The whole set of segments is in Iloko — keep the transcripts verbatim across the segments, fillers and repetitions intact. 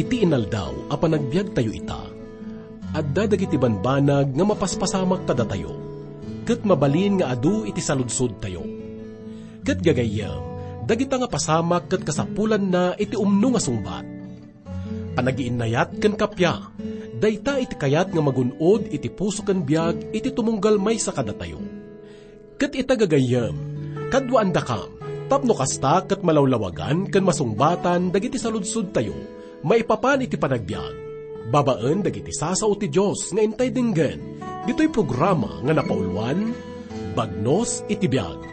Ti inaldaw a panagbiagtayo ita, adda dagiti banbanag nga mapaspasamak kadatayo, ket mabalin nga adu iti saludsodtayo. Ket gagayyem, dagita nga pasamak ket kasapulanna iti umno nga sungbat. Panagiinnayat ken kappia, dayta iti kayat nga magun-od iti puso ken biag iti tumunggal maysa kadatayo. Ket ita gagayyem, kaduaandakam, tapno kasta ket malawlawagan ken masungbatan dagiti saludsodtayo maipapan iti panagbiag, babaen dagiti sasao ti Dios nga intay denggen ditoy programa nga napauluan, Bagnos iti Biag.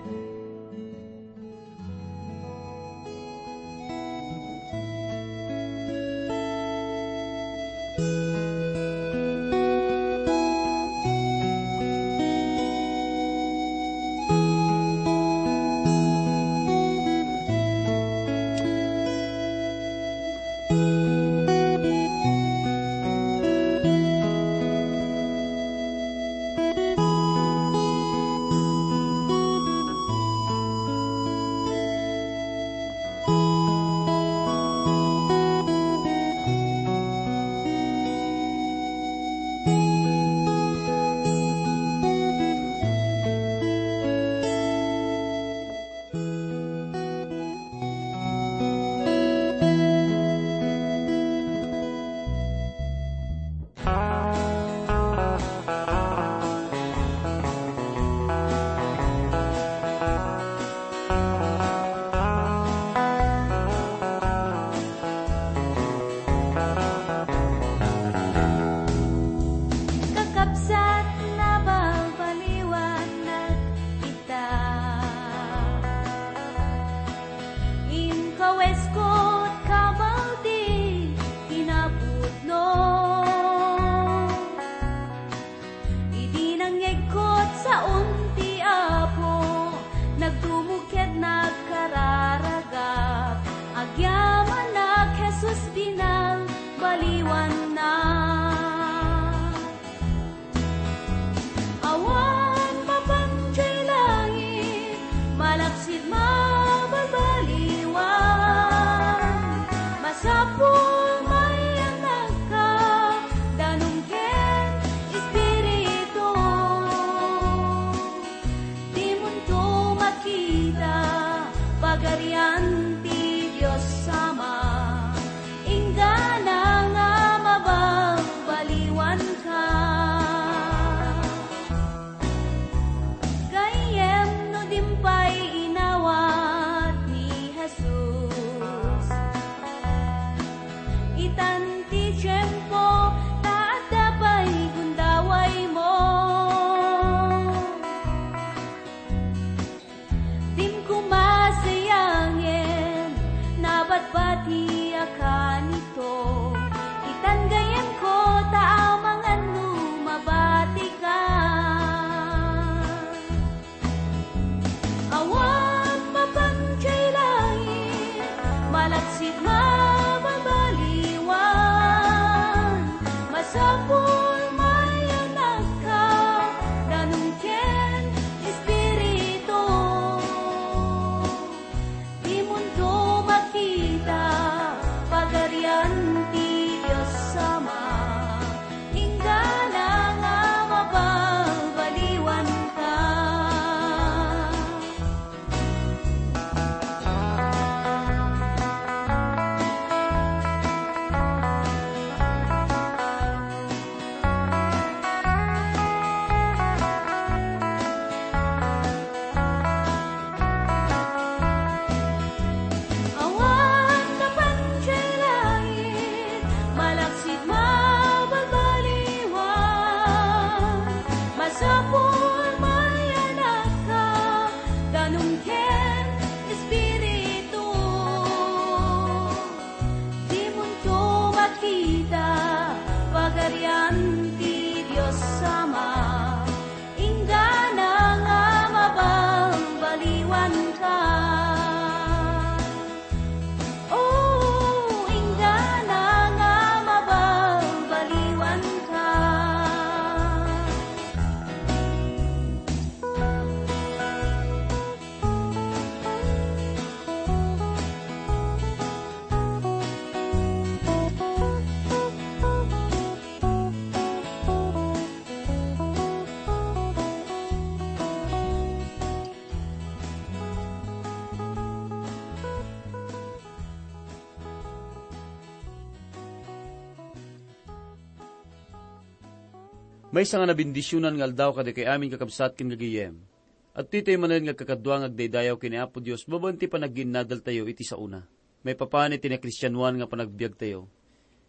Maysa nga nabendisionan nga aldaw kadagitoy amin, kakabsat ken gagayem. Adtoy tayo manen nga agkakadua nga agdaydayaw ken ni Apo Dios babaen ti panagginnadaltayo iti saona. Maipapan iti nakristianoan nga panagbiagtayo.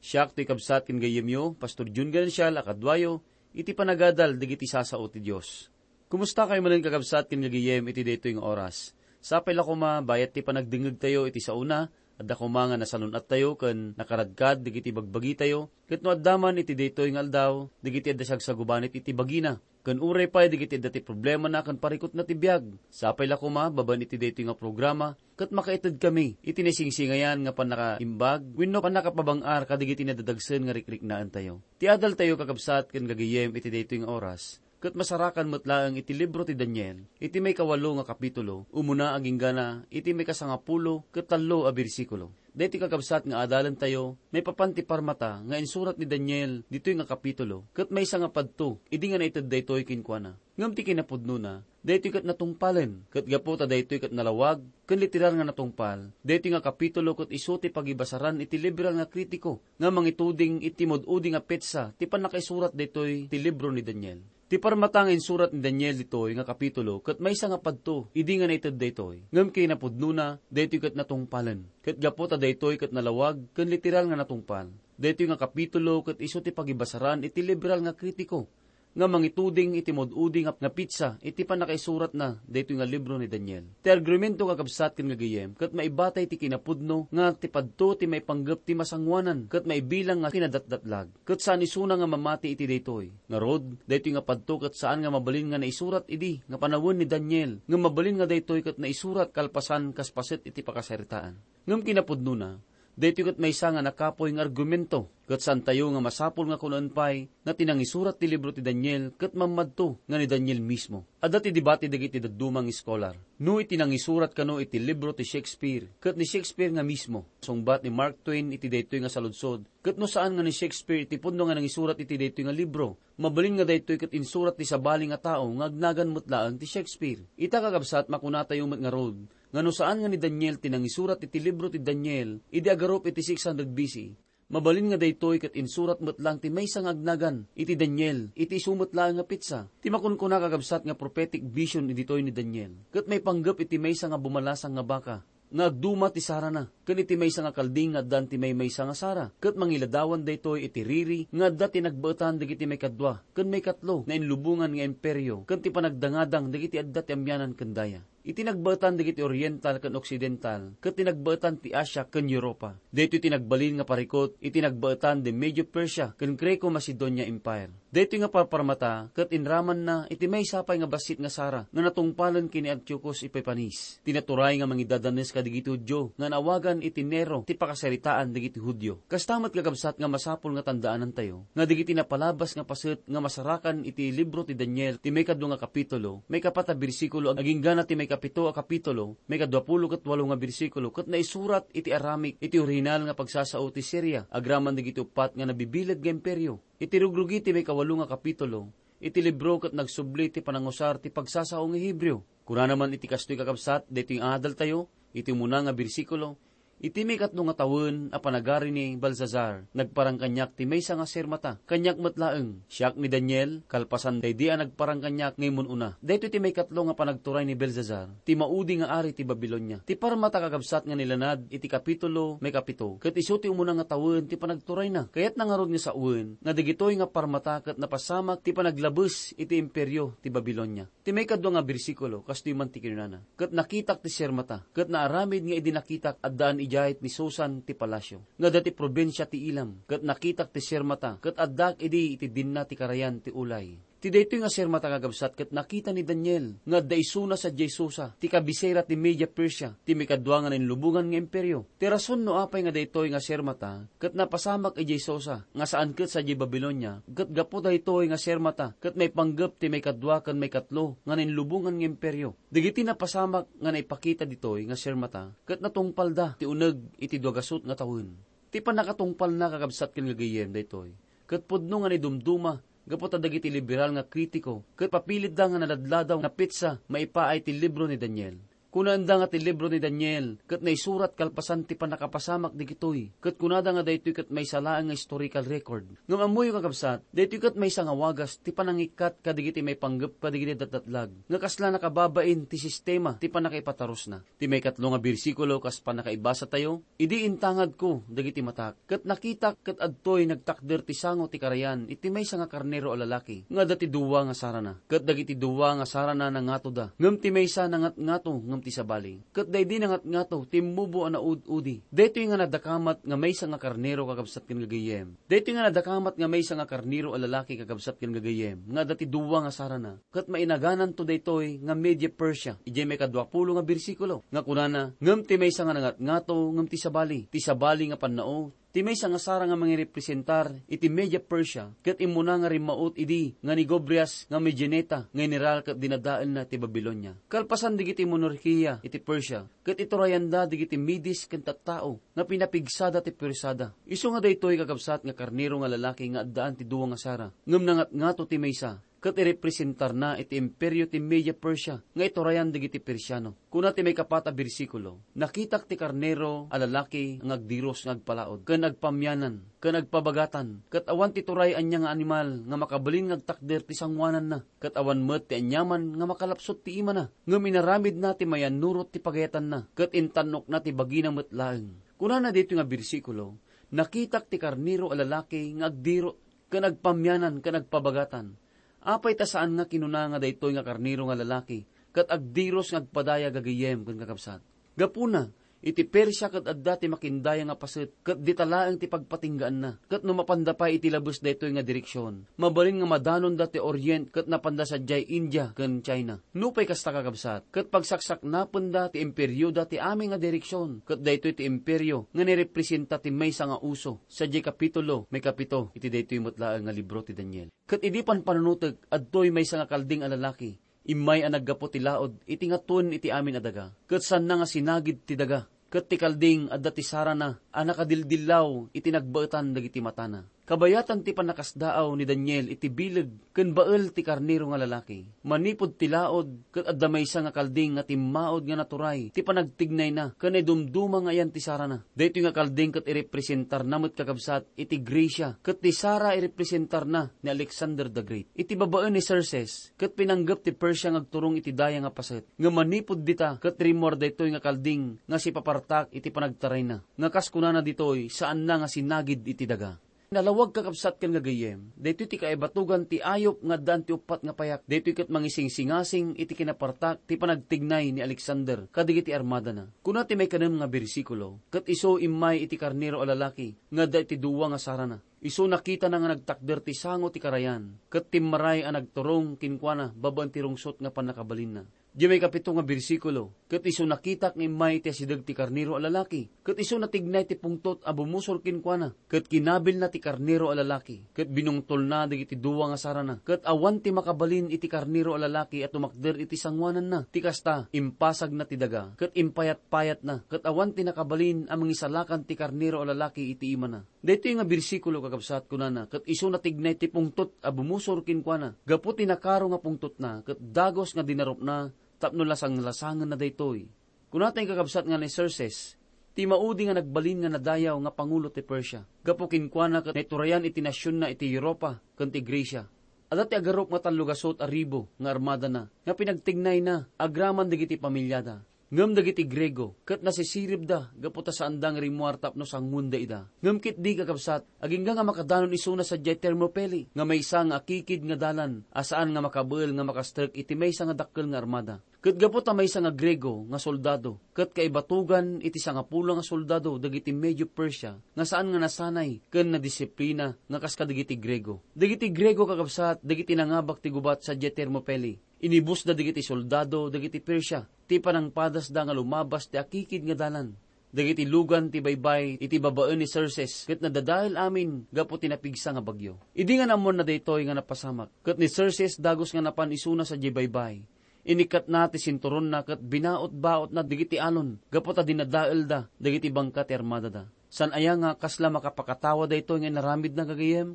Siak toy kabsat ken gayyemyo, Pastor Jun Ganancial, a kaduayo, iti panagadal dagiti sasao ti Dios. Kumusta kayo manen, kakabsat ken gagayem, iti daytoy nga oras? Sapay la koma, bayat ti panagdengngegtayo iti saona, adda koma nga nasalun-attayo ken nakaradkad dagiti bagbagitayo, ket no adda man iti daytoy nga aldaw, dagiti adda sagsagubanit iti bagina, ken uray pay dagiti adda ti problemana ken parikutna ti biag. Sapay la koma, babaen iti daytoy nga programa, ket makaitedkami iti naisingsingayan nga pannakaimbag wenno pannakapabang-ar kadagiti nadadagsen nga rikriknaentayo. Ti adaltayo, kakabsat ken gagayem, iti daytoy nga oras, ket masarakan met laeng iti libro ti Daniel, iti maikawalo nga kapitulo, umuna agingga iti maikasangapulo ket tallo a bersikulo. Daytoy, kakabsat, nga adalentayo maipapan ti parmata nga insurat ni Daniel ditoy nga kapitulo, ket maysa nga padto idi nga naited daytoy kenkuana. Ngem ti kinapudnona, daytoy ket natungpalen, ket gapu ta daytoy ket nalawag ken literal nga natungpal, daytoy nga kapitulo ket isu ti pagibasaran iti liberal nga kritiko nga mangituding iti mud-udi nga petsa ti pannakaisurat daytoy ti libro ni Daniel. Ti parmata nga insurat ni Daniel ditoy nga kapitulo ket maysa nga padto idi nga naited daytoy, ngem kinapudnona, daytoy ket natungpalen, ket gapu ta daytoy ket nalawag ken literal nga natungpal, daytoy nga kapitulo ket isu ti pagibasaran iti liberal nga kritiko nga mangituding iti mud-udi nga, nga petsa iti pannakaisuratna daytoy nga libro ni Daniel. Ti argumento, kakabsat ken gagayem, ket maibatay ti kinapudno nga ti padto ti maipanggep ti masangoanan ket maibilang nga kinadatdatlag, ket saan isuna nga mamati iti daytoy. Ngarud, daytoy nga padto ket saan nga mabalin nga naisurat idi nga panawen ni Daniel, ngem mabalin nga daytoy ket naisurat kalpasan kas paset iti pakasaritaan. Ngem kinapudnona, daytoy ket maysa nga nakapuy nga argumento, ket saantayo nga masapul nga kunaen pay nga ti nangisurat ti libro ti Daniel ket mammadto nga ni Daniel mismo. Adda ti debate dagiti dadduma nga eskolar no iti nangisurat kano iti libro ti Shakespeare ket ni Shakespeare nga mismo. Sungbat ni Mark Twain iti daytoy nga saludsod, ket no saan nga ni Shakespeare iti pudno nga nangisurat iti daytoy nga libro, mabalin nga daytoy ket insurat ti sabali nga tao nga agnagan met laeng ti Shakespeare. Ita, kakabsat, makunatayo met ngarud nga no saan nga ni Daniel ti nangisurat iti libro ti Daniel idi agarup iti six hundred B C, mabalin nga daytoy ket insurat met laeng ti maysa nga agnagan iti Daniel iti isu met laeng nga petsa. Ti makunkuna, kakabsat, nga prophetic vision ditoy ni Daniel ket maipanggep iti maysa nga bumalasang nga baka nga agduma ti sarana, ken iti maysa nga kalding nga addan ti maymaysa nga sara, ket mangiladawan daytoy iti riri nga adda ti nagbaetan dagiti maikadua ken maikatlo nga inlubongan nga imperio ken ti panagdangadang dagiti adda ti amianan ken daya. Iti nagbaetan dagiti Oriental ken Occidental, ket ti nagbaetan ti Asia ken Europa. Daytoy ti nagbalin nga parikut iti nagbaetan ti Medio-Persia ken Greco-Macedonia Empire. Daytoy nga parparmata ket inramanna iti maysa pay nga bassit nga sara nga natungpalen ken ni Antiochus Epiphanes, ti naturay nga mangidadanes kadagiti Judio nga naawagan iti Nero ti pakasaritaan dagiti Judio. Kasta met, kakabsat, nga masapul nga tandaanantayo nga dagiti napalabas nga paset nga masarakan iti libro ti Daniel ti maikadua nga kapitulo, maikapat a bersikulo, agingga ti maikapito a kapitulo, maikadua pulo ket walo nga bersikulo, ket naisurat iti Aramaic iti orihinal nga pagsasao ti Siria agraman dagiti uppat nga nabibileg nga imperio. Iti rugrugi ti maikawalo nga kapitulo iti libro ket nagsubli ti panangusar ti pagsasao nga Hebreo. Kunana man iti kastoy, kakabsat, daytoy nga adaltayo, iti umuna nga bersikulo, "Iti maikatlo nga tawen a panagari ni Belsasar, nagparang kaniak ti maysa nga sirmata. Kaniak met laeng, siak ni Daniel, kalpasan daydi a nagparang kaniak nga immun-una." Daytoy ti maikatlo nga panagturay ni Belsasar ti maudi nga ari ti Babilonia. Ti parmata, kakabsat, nga nilanad iti kapitulo maikapito, ket isu ti umuna nga tawen ti panagturayna. Kayatna ngarud nga sawen nga dagitoy nga parmata ket napasamak ti panaglabes iti imperio ti Babilonia. Ti maikadua nga bersikulo, kastoy man ti kinunana, "Ket nakitak ti sirmata, ket naaramid nga idi nakitak, addaan idiay ni Susan ti palasio, nga adda ti probinsia ti Elam. Ket nakitak ti sirmata, ket addaak idi iti dinna ti karayan ti ulay." Ti daytoy nga sirmata, kakabsat, ket nakita ni Daniel nga adda isuna sadiay Susa, ti kabisera ti Media Persia, ti maikadua nga nainlubongan nga imperio. Ti rason no apay nga daytoy nga sirmata ket napasamak idiay Susa, nga saan ket sadiay Babilonia, ket gapu daytoy nga sirmata ket maipanggep ti maikadua ken maikatlo nga nainlubongan nga imperio. Dagiti napasamak nga naipakita ditoy nga sirmata ket natungpalda ti uneg iti dua gasut nga tawen. Ti pannakatungpalna, kakabsat ken gagayem, daytoy ket pudno nga naidumduma gapu ta dagiti liberal nga kritiko ket papilitda nga naladladaw nga petsa maipaay ti libro ni Daniel. Kunaenda nga ti libro ni Daniel ket naisurat kalpasan ti pannakapasamak digitoy, ket kunada nga daytoy ket maysa laeng nga historical record. Ngem ammoyo, kakabsat, daytoy ket maysa nga wagas ti panangikkat kadagiti maipanggep kadagiti datdatlag nga kasla nakababain ti sistema ti pannakaipatarusna. Ti maikatlo nga bersikulo kas pannakaibasatayo, "Idi intangadko dagiti matak, ket nakitak ket adtoy nagtakder ti sango ti karayan iti maysa nga karnero a lalaki nga adda ti dua nga sarana. Ket dagiti dua nga sarana nangatoda, ngem ti maysa nangatngato ngem ti sabali. Ket daydi nangatngato, timmubo a naud-udi." Daytoy nga nadakamat nga maysa nga karnero, kakabsat ken gagayyem. Daytoy nga nadakamat nga maysa nga karnero a lalaki, kakabsat ken gagayyem, nga adda ti dua nga sarana. Ket mainagananto daytoy nga Media Persia, idiay maikadua pulo nga bersikulo, nga kunana, "Ngem ti maysa nga nangatngato, ngem ti sabali, ti sabali nga pannao, ti maysa nga sara nga mangirepresentar iti Media Persia, ket immuna nga rimmaut idi nga ni Gobrias nga Medianita nga general ket dinadaelna ti Babilonia." Kalpasan dagiti monarkia iti Persia, ket iturayanda dagiti Medes ken tattao nga pinapigsada ti puersada. Isu nga daytoy, kakabsat, nga karnero nga lalaki nga addaan ti dua nga sara, ngem nangatngato ti maysa, ket irepresentarna iti imperio ti Media Persia nga iturayan dagiti Persiano. Kuna ti maikapat a bersikulo, "Nakitak ti karnero a lalaki nga agdiros nga agpalaod, ken agpamyanan, ken agpabagatan, ket awan ti turay ania nga animal nga makabalin nga agtakder ti sangoananna, ket awan met ti aniaman nga makalapsut ti imana, ngem inaramidna ti mayannurot ti pagayatanna, ket intannokna ti bagina met laeng." Kunana daytoy nga bersikulo, "Nakitak ti karnero a lalaki nga agdiro ken agpamyanan ken agpabagatan." Apay ta saan nga kinuna nga daytoy nga karnero nga lalaki ket agdiros nga agpadaya, gagayyem ken kakabsat? Gapuna, iti Persia ket adda ti makindaya nga paset, ket dita laeng ti pagpatinggaanna. Ket no mapanda pay iti labes daytoy nga direksion, mabalin nga madanonda ti Orient ket napanda sadiay India ken China. Nupay kasta, kakabsat, ket pagsaksaknapenda ti imperioda ti amin nga direksion, ket daytoy ti imperio nga nirepresenta ti maysa nga uso, sadiay kapitulo maikapito iti daytoy met laeng nga libro ti Daniel. Ket idi panpanunotek, adtoy maysa nga kalding a lalaki, immay a naggapu ti laod iti ngatuen iti amin a daga, ket saanna nga sinagid ti daga. Ket ti kalding adda ti sarana a nakadildillaw iti nagbaetan dagiti matana. Kabayatan ti pannakasdaaw ni Daniel iti bileg ken bael ti karnero nga lalaki. Manipud ti laod, ket adda maysa nga kalding nga timmaod nga naturay ti panagtignayna ken naidumduma nga ayan ti sarana. Daytoy nga kalding ket irepresentarna met, kakabsat, iti Grecia, ket ti sara irepresentarna ni Alexander the Great. Iti babaen ni Xerxes, ket pinanggep ti Persia nga agturong iti daya nga paset. Ngem manipud dita, ket rimmuar daytoy nga kalding nga sipapartak iti panagtarayna, nga kas kunana ditoy, saanna nga sinagid iti daga. Nalawag, kakabsat ken gagayyem, daytoy ti kaibatugan ti ayup nga addaan ti uppat nga payak. Daytoy ket mangisingsingasing iti kinapartak ti panagtignay ni Alexander kadagiti armadana. Kuna ti maikanem nga bersikulo, "Ket isu immay iti karnero a lalaki nga adda iti dua nga sarana. Isu nakitana nga nagtakder ti sango ti karayan, ket timmaray a nagturong kenkuana babaen ti rungsot nga pannakabalinna." Diay maikapito nga bersikulo, "Ket isu nakitak nga immay iti asideg ti karnero a lalaki, ket isu natignay ti pungtot a bumusor kenkuana, ket kinabilna ti karnero a lalaki, ket binungtolna dagiti dua nga sarana, ket awan ti makabalin iti karnero a lalaki a tumakder iti sangoananna. Ti kasta, impasagna ti daga, ket impayatpayatna, ket awan ti nakabalin a mangisalakan ti karnero a lalaki iti imana." Daytoy nga bersikulo, kakabsat, kunana, "Ket isu natignay ti pungtot a bumusor kenkuana. Gapu ti nakaro nga pungtotna, ket dagus nga dinarupna tapno lasanglasangenna daytoy." Kuna ti kakabsat nga ni Xerxes, ti maudi nga nagbalin nga nadayaw nga pangulo ti Persia. Gapu kenkuana ket naiturayan iti nasionna iti Europa ken ti Grecia. Adda ti agarup nga tallogasut a ribu nga armadana nga pinagtignayna agraman dagiti pamiliada. Ngem dagiti Griego ket nasisiribda gapu ta saanda nga rimmuar tapno sangoenda ida. Ngem ketdi, kakabsat, agingga nga makadanon isuna sadiay Thermopylae, nga maysa nga akikid nga dalan a saan nga makabael nga makastrek iti maysa nga dakkel nga armada. Ket gapu ta maysa nga Griego nga soldado, ket kaibatugan iti sangapulo nga soldado dagiti Medio-Persia nga saan nga nasanay ken nadisiplina nga kas kadagiti Griego. Dagiti Griego, kakabsat, dagiti nangabak ti gubat sadiay Thermopylae. Inibusda dagiti soldado dagiti Persia ti panangpadasda nga lumabas ti akikid nga dalan. Dagiti lugan ti baybay iti babaen ni Xerxes ket nadadael amin gapu ti napigsa nga bagyo. Idi nga naammoanna daytoy nga napasamak, ket ni Xerxes dagus nga napan isuna sadiay baybay. Inikkatna ti sinturonna ket binaot-baotna dagiti alon gapu ta dinadaelda dagiti bangka ti armadada. Saan aya nga kasla makapakatawa daytoy nga inaramidna, gagayyem?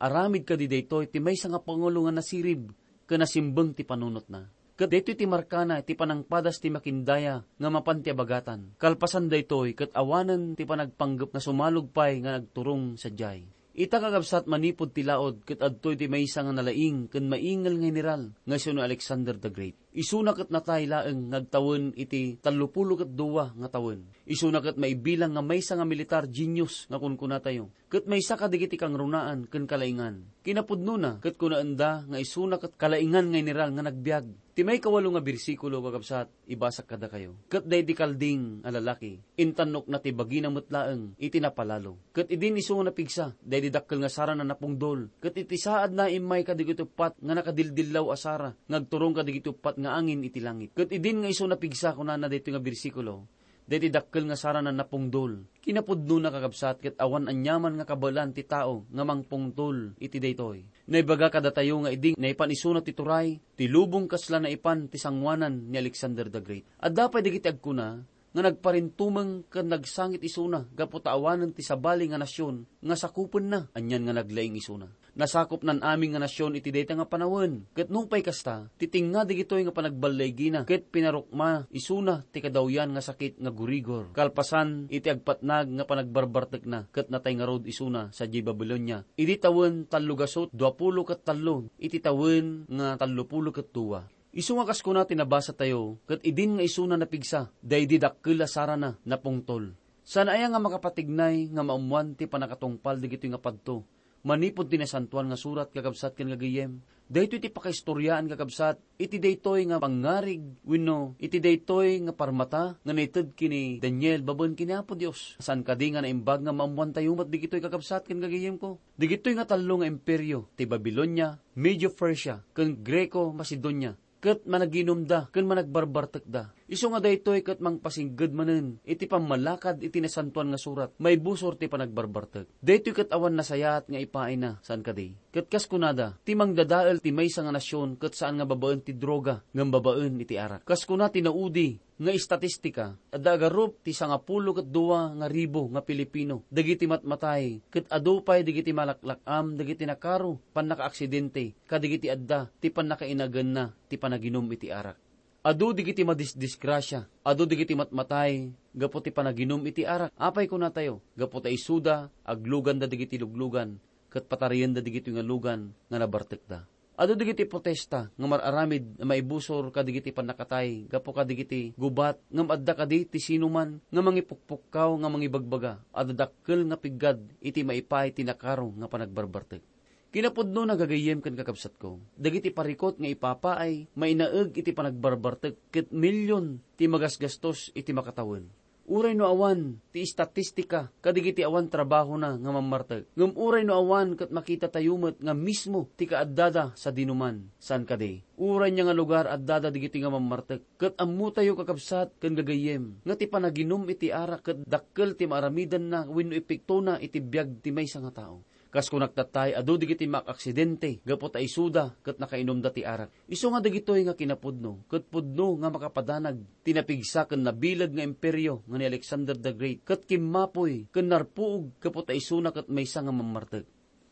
Aramid kadi daytoy ti maysa nga pangulo nga nasirib ken nasimbeng ti panunotna? Ket daytoy ti markana iti panangpadas ti makindaya nga mapan ti abagatan. Kalpasan daytoy, ket awanen ti panagpanggep nga sumalog pay nga nagturong sadiay. Ita, kakabsat, manipud ti laud, ket adtoy ti maysa nga nalaing ken maingel nga general nga isu ni Alexander the Great. Isuna ket natay laeng nga agtawen iti tallopulo ket dua nga tawen. Isuna ket maibilang nga maysa nga militar genius nga kunkunatayo, ket maysa kadagiti kangrunaan ken kalaingan. Kinapudnona, ket kunaenda nga isuna ket kalaingan nga general nga nagbiag. Ti maikawalo nga bersikulo, kakabsat, ibasak kadakayo. Ket daydi kalding a lalaki, intannokna ti bagina met laeng iti napalalo. Ket idin isu nga napigsa, daydi dakkel nga sara nga napungdol. Ket iti saadna, immay kadagiti uppat nga nakadildillaw a sara nga agturong kadagiti uppat nga angin iti langit. Ket idin nga isu napigsa, kunana daytoy nga bersikulo, daydi dakkel nga sara nga napungdol. Kinapudnona, kakabsat, ket awan aniaman nga kabaelan ti tao nga mangpungtol iti daytoy. Naibaga kadatayo nga idi naipan isuna ti turay, ti lubong kasla naipan ti sangoanan ni Alexander the Great. Adda pay dagiti agkuna nga nagparintumeng ken nagsangit isuna gapu ta awanen ti sabali nga nasion nga sakupenna, anian nga naglaing isuna. Nasakopnan amin nga nasion iti dayta nga panawen. Ket nupay kasta, titingna dagitoy nga panagballigina ket pinarukma isuna ti kadawyan nga sakit nga gurigor. Kalpasan iti agpatnag nga panagbarbartekna, ket natay ngarud isuna sadiay Babilonia idi tawen tallo gasut duapulo ket tallo iti tawen nga tallopulo ket dua. Isu nga kas kuna ti nabasatayo, ket idin nga isuna napigsa, daydi dakkel a sarana napungtol. Saan aya nga makapatignay nga maammoan ti pannakatungpal dagitoy nga padto? Manipud ti Nasantoan nga Surat, kakabsat ken gagayyem, daytoy ti pakaistoriaan, kakabsat, iti daytoy nga pangngarig wenno iti daytoy nga parmata nga naited ken ni Daniel babaen ken ni Apo Dios. Saan kadi nga naimbag nga maammoantayo met dagitoy, kakabsat ken gagayyemko? Dagitoy nga tallo nga imperio, ti Babilonia, Medio-Persia, ken Greco-Macedonia, ket managinumda ken managbarbartekda. Isu nga daytoy ket mangpasingged manen iti pammalakad iti Nasantoan nga Surat maibusor ti panagbarbartek. Daytoy ket awan nasayaat nga ipaayna, saan kadi? Ket kas kunada, ti mangdadael ti maysa nga nasion ket saan nga babaen ti droga ngem babaen iti arak. Kas kuna ti naudi nga estatistika, adda agarup ti sangapulo ket dua nga ribu nga Pilipino dagiti matmatay, ket adu pay dagiti malaklak-am dagiti nakaro pannakaaksidente kadagiti adda ti pannakainaganna ti panaginum iti arak. Adu dagiti madisdisgrasia, adu dagiti matmatay gapu ti panaginum iti arak. Apay kunatayo? Gapu ta isuda, agluganda dagiti luglugan, ket patariyenda dagitoy nga lugan nga nabartekda. Adu dagiti protesta nga mar-aramid a maibusor kadagiti pannakatay gapu kadagiti gubat, ngem adda kadi ti sinuman nga mangipukpukkaw nga mangibagbaga a dadakkel nga piggad iti maipaay ti nakaro nga panagbarbartek? Kinapudno, gagayyem ken kakabsatko, dagiti parikut nga ipapaay mainaeg iti panagbarbartek ket milyon ti magasgastos iti makatawen. Uray no awan ti estatistika kadagiti awan trabahona nga mammartek, ngem uray no awan ket makitatayo met nga mismo ti kaaddada sadinuman, saan kadi? Uray nia nga lugar addada dagiti nga mammartek, ket ammotayo, kakabsat ken gagayyem, nga ti panaginum iti arak ket dakkel ti maaramidanna wenno epektona iti biag ti maysa nga tao. Kas kunak tattay, adu dagiti maak-aksidente gapu ta isuda ket nakainumda ti arak. Isu nga dagitoy nga kinapudno ket pudno nga makapadanag ti napigsa ken nabileg nga imperio nga ni Alexander the Great, ket kimmapuy ken narpuog gapu ta isuna ket maysa nga mammartek.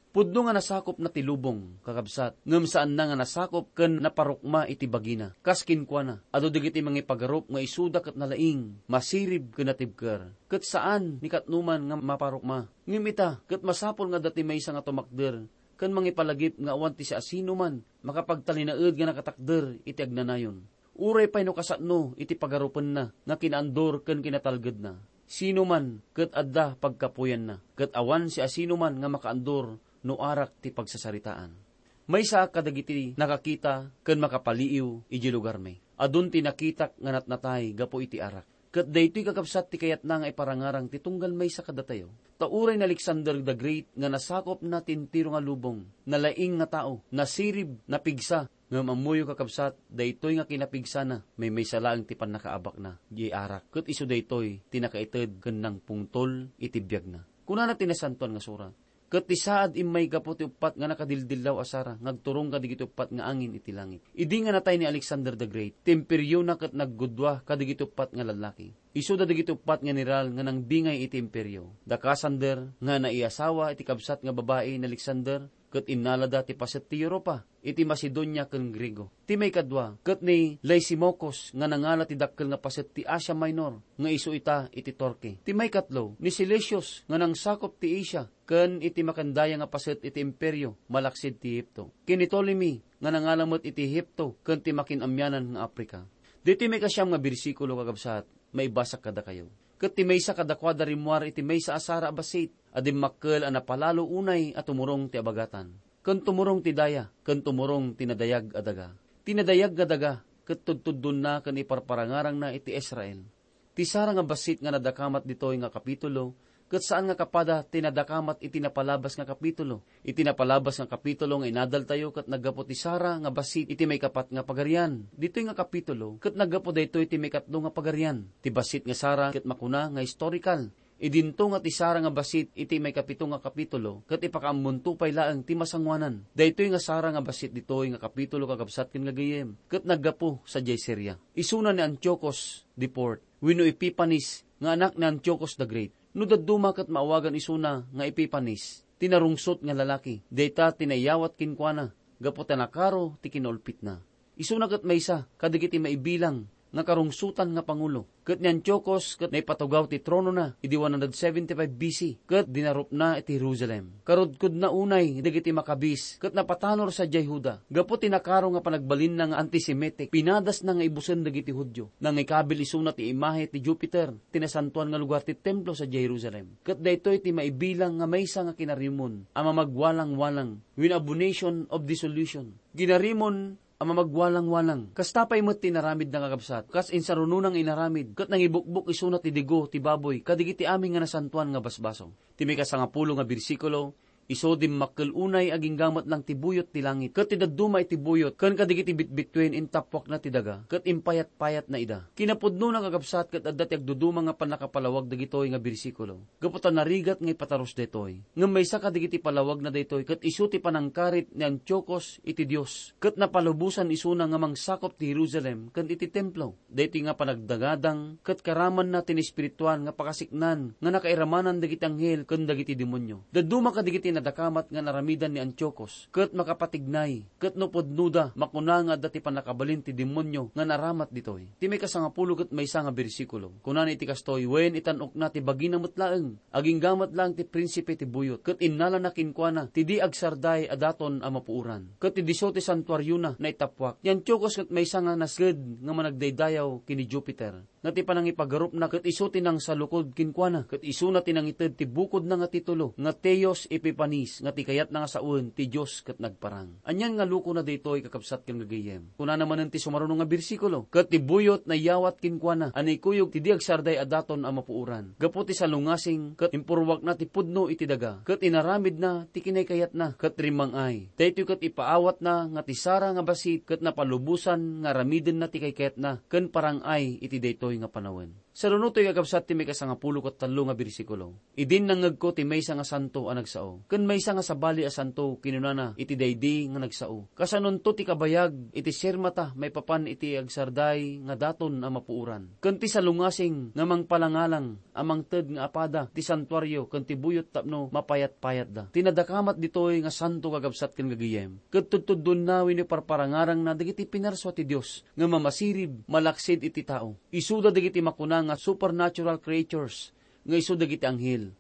Pudno nga nasakopna ti lubong, kakabsat, ngem saanna nga nasakop ken naparukma iti bagina. Kas kenkuana, adu dagiti mangipagarup nga isuda ket nalaing, masirib ken natibker. Ket saan ni katnoman nga maparukma. Ngem ita, ket masapul nga adda ti maysa nga tumakder ken mangipalagip nga awan ti siasinoman makapagtalinaed nga nakatakder iti agnanayon. Uray pay no kasano iti pagarupenna nga kinaandur ken kinatalgedna, sinoman ket adda pagkapuyanna, ket awan siasinoman nga makaandur no arak ti pagsasaritaan. Maysaak kadagiti nakakita ken makapaliiw idiay lugarmi. Adun ti nakitak nga natnatay gapu iti arak. Ket daytoy, kakabsat, ti kayatna nga iparangarang ti tunggal maysa kadatayo. Ta uray ni Alexander the Great nga nasakopna ti entero nga lubong, nalaing nga tao, nasirib, napigsa, ngem ammoyo, kakabsat, daytoy nga kinapigsana, maymaysa laeng ti pannakaabakna diay arak, ket isu daytoy ti nakaited ken nangpungtol iti biagna. Kunana ti Nasantoan nga Surat, ket ti saad immay gapu ti uppat nga nakadildillaw a sara nga agturong kadagiti uppat nga angin iti langit. Idi nga natay ni Alexander the Great, ti imperiona ket naggudua kadagiti uppat nga lallaki. Isuda dagiti uppat nga general nga nangbingay iti imperio. Da Cassander nga naiasawa iti kabsat nga babai ni Alexander, ket innalada ti paset ti Europa, iti Macedonia ken Griego. Ti maikadua, ket ni Lysimachus nga nangala ti dakkel nga paset ti Asia Minor, nga isu ita iti Turkey. Ti maikatlo, ni Seleucus nga nangsakop ti Asia, ken iti makandaya nga paset iti imperio, malaksid ti Ehipto. Ken ni Ptolemy nga nangala met iti Ehipto ken ti makinamianan nga Africa. Ditoy maikasiam nga bersikulo, kakabsat, maibasak kadakayo. Ket ti maysa kadakuada rimmuar iti maysa a sara a bassit a dimmakkel a napalalo unay a tumurong ti abagatan, ken tumurong ti daya, ken tumurong ti nadayag a daga. Ti nadayag nga daga ket tudtuddonna ken iparparangarangna iti Israel. Ti sara nga bassit nga nadakamat ditoy nga kapitulo, ket saan nga kapada ti nadakamat iti napalabas nga kapitulo. Iti napalabas nga kapitulo nga inadaltayo ket naggapu ti sara nga bassit iti maikapat nga pagarian. Ditoy nga kapitulo ket naggapu daytoy ti maikatlo nga pagarian. Ti bassit nga sara ket makuna nga historical. Idinto nga ti sara nga bassit iti maikapito nga kapitulo ket ipakaammonto pay laeng ti masangoanan. Daytoy nga sara nga bassit ditoy nga kapitulo, kakabsat ken gagayyem, ket naggapu sadiay Siria. Isuna ni Antiochus the fourth wenno Epiphanes nga anak ni Antiochus the Great. No dadduma ket maawagan isuna nga Epiphanes, ti narungsot nga lalaki, dayta ti naiyawat kenkuana gapu ta nakaro ti kinaulpitna. Isuna ket maysa kadagiti maibilang nga karungsotan nga pangulo, ket ni Antiochus ket naipatugaw ti tronona idi one hundred seventy-five B C, ket dinarupna iti Jerusalem. Karudkodna unay dagiti Maccabees ket napatanor sadiay Juda. Gapu ti nakaro nga panagbalinna nga antisemitic, pinadasna nga ibusen dagiti Judio. Nangikabil isuna ti imahe ti Jupiter, ti nasantoan nga lugar ti templo sadiay Jerusalem. Ket daytoy ti maibilang nga maysa nga kinarimon a mamagwalangwalang, wenno abomination of desolation. Kinarimon a mamagwalangwalang. Kasta pay met ti inaramidna, kakabsat, kas insarunona nga inaramid, ket nangibukbok isuna ti digo ti baboy kadagiti amin nga nasantoan nga basbasol. Ti maikasangapulo nga bersikulo, isu dimmakkel unay agingga met lang ti buyot ti langit, ket ti dadduma iti buyot ken kadagiti bitbituen intappuakna ti daga, ket impayatpayatna ida. Kinapudnona, kakabsat, ket adda ti agduduma nga pannakapalawag dagitoy nga bersikulo. Gapu ta narigat nga ipatarus daytoy. Ngem maysa kadagiti palawagna daytoy ket isu ti panangkarit ni Antiochus iti Dios, ket napalubosan isuna nga mangsakop ti Jerusalem ken iti templo. Daytoy nga panagdangadang ket karamanna ti naespirituan nga pakasiknan nga nakairamanan dagiti anghel ken dagiti demonio. Dadduma kadagiti nadakamat nga naramidan ni Antiochus ket makapatignay. Ket no pudnoda, makuna nga adda ti pannakabalin ti demonio nga naramat ditoy. Ti maikasangapulo ket maysa nga bersikulo, kunana iti kastoy, wen itan-okna ti bagina met laeng, agingga met laeng ti prinsipe ti buyot, ket innalana kenkuana ti di agsarday a daton a mapuoran. Ket ti disso ti santuariona naitappuak. Ni Antiochus ket maysa nga nasged nga managdaydayaw ken ni Jupiter. Nga ti panangipagarupna ket isu ti nangsalukod kenkuana, ket isuna ti nangited ti bukodna nga titulo nga Theos Epiphanes, nga ti kayatna nga sawen ti Dios ket nagparang. Anian nga lukona daytoy, kakabsat ken gagayyem? Kunana manen ti sumaruno nga bersikulo, ket ti buyot naiyawat kenkuana a naikuyog ti di agsarday a daton a mapuoran. Gapu ti salungasing, ket impurwakna ti pudno iti daga, ket inaramidna ti kinaykayatna, ket rimmang-ay. Daytoy ket ipaawatna nga ti sara nga bassit ket napalubosan nga aramidenna ti kaykayatna ken parang-ay iti daytoy nga panawen. Saruno toy, kakabsat, ti maikasangapulo ket tallo nga bersikulo. Idin nangngegko ti maysa nga santo a nagsao, ken maysa nga sabali a santo kinunana iti daydi nga nagsao, kasanonto ti kabayag iti sirmata maipapan iti agsarday nga daton a mapuoran, ken ti salungasing nga mangpalangalang a mangted nga apada ti santuario ken ti buyot tapno mapayatpayatda. Ti nadakamat ditoy nga santo, kakabsat ken gagayyem, ket tudtuddonna wenno parparangarangna dagiti pinarsua ti Dios nga mamasirib malaksid iti tao. Isuda dagiti makuna nga supernatural creatures nga isu dagiti anghel.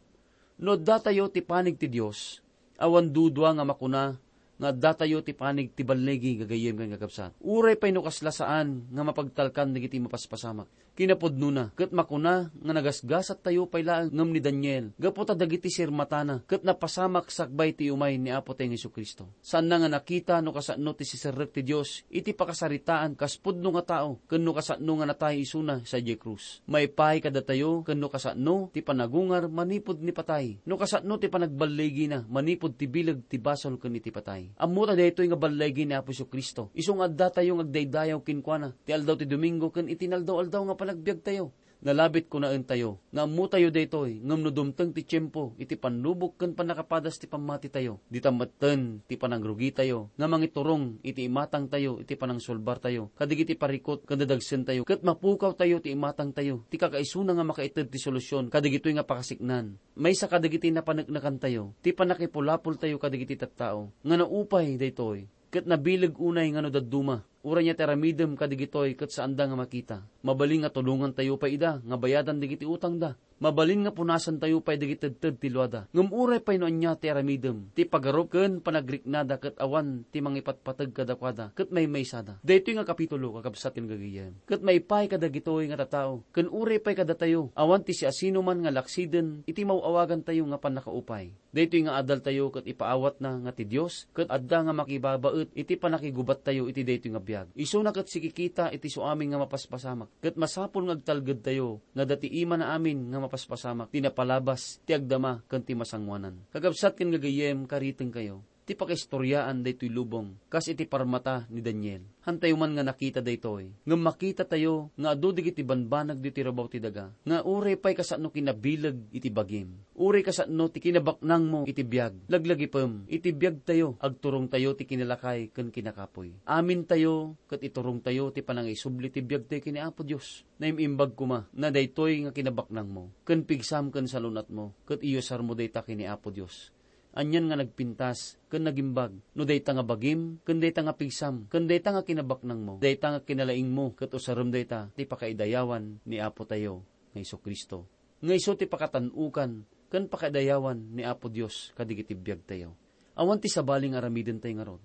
No addatayo ti panig ti Dios, awan dudua nga makuna nga addatayo ti panig ti balligi, gagayyem ken kakabsat. Uray pay no kasla saan nga mapagtalkan dagiti mapaspasamak. Kinapudnona, ket makuna nga nagasgasattayo pay laeng ngem ni Daniel, gapu ta dagiti sirmatana ket napasamak sakbay ti umay ni Apotayo nga Jesu-Cristo. Saanna nga nakita no kasano ti siserrek ti Dios iti pakasaritaan kas pudno nga tao ken no kasano nga natay isuna sadiay krus. Maipay kadatayo ken no kasano ti panagungar manipud ni patay, no kasano ti panagballigina manipud ti bileg ti basol ken iti patay. Ammota daytoy nga balligi ni Apo Jesu-Cristo isu nga addatayo nga agdaydayaw kenkuana ti aldaw ti Domingo ken iti inaldaw-aldaw nga panagbiagtayo. Nalabit kunaentayo nga ammotayo daytoy, ngem no dumteng ti tiempo iti pannubok ken pannakapadas ti pammatitayo, dita metten ti panangrugitayo nga mangiturong iti imatangtayo iti panangsulbartayo kadagiti parikut ken dadagsentayo, ket mapukawtayo ti imatangtayo ti kakaisuna nga makaited ti solusion kadagitoy nga pakasiknan. Maysa kadagiti napaneknekantayo ti pannakipulapoltayo kadagiti tattao nga naupay daytoy, ket nabileg unay nga no dadduma, uray nia ti aramidem kadagitoy ket saanda nga makita. Mabalin nga tulongantayo pay ida nga bayadan dagiti utangda. Mabalin nga punasantayo pay dagiti tedted ti luada. Ngem uray pay no ania ti aramidem, ti pagarup ken panagriknada ket awan ti mangipatpateg kadakuada ket maymaysada. Daytoy nga kapitulo, kakabsat ken gagayyem, ket maipaay kadagitoy nga tattao, ken uray pay kadatayo, awan ti siasinoman nga laksiden iti maw-awagantayo nga pannakaupay. Daytoy nga adaltayo ket ipaawatna nga ti Dios ket adda nga makibabaet iti pannakigubattayo iti daytoy nga biag. Isuna ket sikikita iti suamin nga mapaspasamak, ket masapul nga agtalgedtayo nga adda ti imana amin nga mapaspasamak ti napalabas, ti agdama, ken ti masangoanan. Kakabsat ken gagayyem, karitengkayo ti pakaistoriaan daytoy lubong, kas iti parmata ni Daniel. Hantayo man nga nakita daytoy, ngem makitatayo nga adu dagiti banbanag ditoy rabaw ti daga, nga uray pay kasano kinabileg iti bagim, uray kasano ti kinabaknangmo iti biag, laglagipem, iti biagtayo, agturongtayo ti kinalakay ken kinakapuy. Amintayo ket iturongtayo ti panangisubli ti biagtayo ken ni Apo Dios. Naim-imbag koma na daytoy nga kinabaknangmo, ken pigsam ken salun-atmo, ket iyusarmo dayta ken ni Apo Dios. Anian nga nagpintas ken nagimbag no dayta nga bagim, ken dayta nga pigsam, ken dayta nga kinabaknangmo, dayta nga kinalaingmo, ket usarem dayta ti pakaidayawan ni Apotayo nga Jesu-Cristo, nga isu ti pakatan-okan ken pakaidayawan ni Apo Dios kadagiti biagtayo. Awan ti sabali nga aramidentayo ngarud.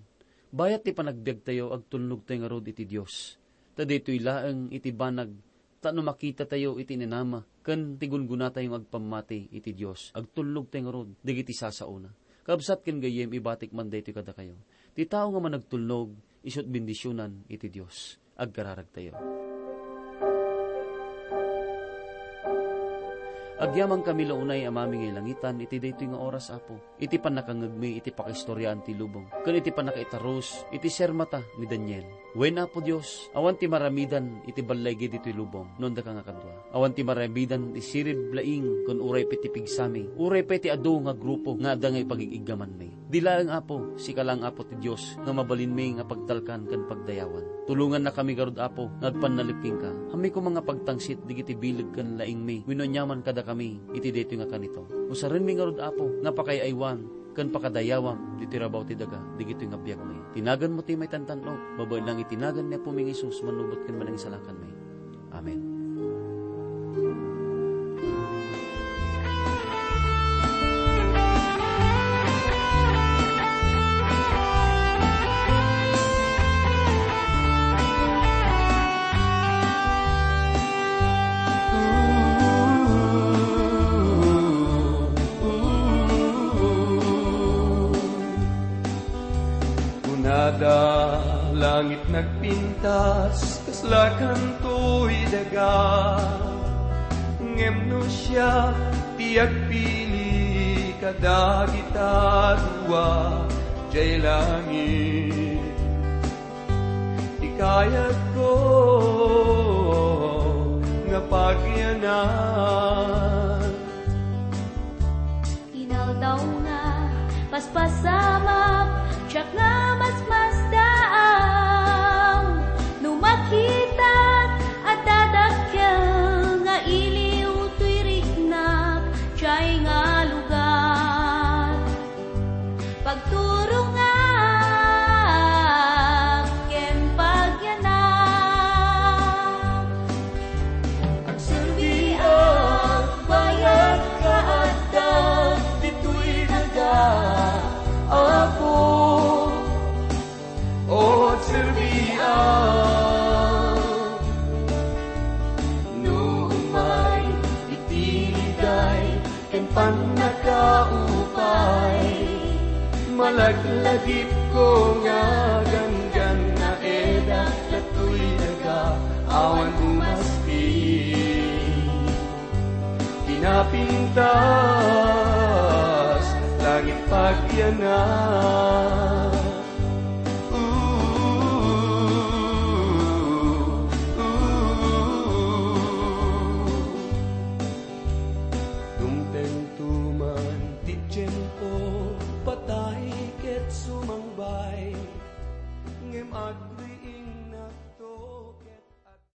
Bayat ti panagbiagtayo, agtulnogtayo ngarud iti Dios. Ta daytoy laeng iti banag tapno makitatayo iti inanama ken ti gungunatayo nga agpammati iti Dios. Agtulnogtayo ngarud dagiti sasaona. Kabsat ken gayyem, ibatik man daytoy kadakayo. Ti tao nga managtulnog, isu't bendisionan iti Dios. Agkararagtayo. Agyamankami la unay, Amami nga ilangitan, iti daytoy nga oras, Apo, iti pannakangngegmi iti pakaistoriaan ti lubong, ken iti pannakaitarus iti sermata ni Daniel. Wen, Apo Dios, awan ti maramidan iti ballaygi ditoy lubong no addaka nga kadua. Awan ti maramidan ti sirib laing ken uray pay ti pigsami, uray pay ti adu nga grupo nga adda nga ipagig-iggamanmi. Di laeng, Apo, sika laeng, Apo, ti Dios nga mabalinmi nga pagtalkan ken pagdayawan. Tulongannakami ngarud, Apo, nga agpannalip kenka. Ammi koma nga pagtangsit dagiti bileg ken laingmi wenno aniaman kadakami iti daytoy nga kanito. Usarenmi ngarud, Apo, nga pakay-aywan ken pakadayawam ditoy rabaw ti daga dagitoy nga biagmi. Ti naganmo ti maitantan-ok, babaen lang iti nagan ni Apomi nga Jesus, manubot ken manangisalakanmi. Amen. Kunada, langit nagpintas, kasla kantoy daga. Ngem no siak ti agpili kadagita dua, jay langit ti kayatko nga pagyanan. Inaldaw nga paspasamak, siak nga masmasdaaw. No makitak, adda dakkel nga iliw toy riknak, jay nga lugar. Pagturongak ken pagyanak. Agserbiak, bayat nga adda ditoy daga, Apo. O, agserbiak. No umay iti liday ken pannakaupay, malaglagipko nga ganggannaedak ditoy daga, awan umaspi. Kinapintas, langit pagyanan.